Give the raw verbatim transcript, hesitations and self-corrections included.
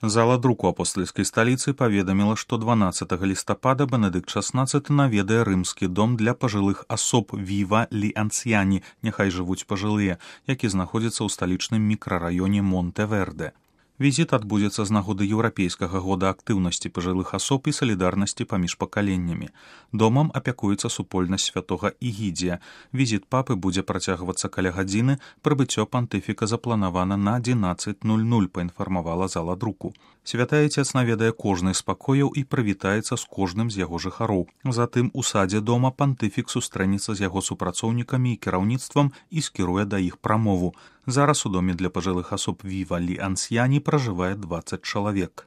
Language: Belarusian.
Зала друку апостальскай сталіцы паведаміла, што дванаццатага лістапада Бенедыкт шаснаццаты наведае рымскі дом для пажылых асоб Віва лі Ансьяні, няхай жывуць пажылыя, які знаходзіцца ў сталічным мікрараёне Монте-Верде. Візіт адбудзецца з нагоды еўрапейскага года актыўнасці пажылых асоб і салідарнасці паміж пакаленнямі. Домам апякуецца супольнасць святога Ігідзія. Візіт папы будзе працягвацца каля гадзіны, прыбыццё пантыфіка запланавана на адзінаццаць нуль нуль, паінфармавала зала друку. Святы Айцец наведае кожны з пакояў і прывітаецца з кожным з яго жыхароў. Затым у садзе дома пантыфік сустрэнецца з яго супрацоўнікамі і кіраўніцтвам і скіруе да іх прамову. Зараз у доме для пажылых асоб Віва лі Ансьяні пражывае дваццаць чалавек.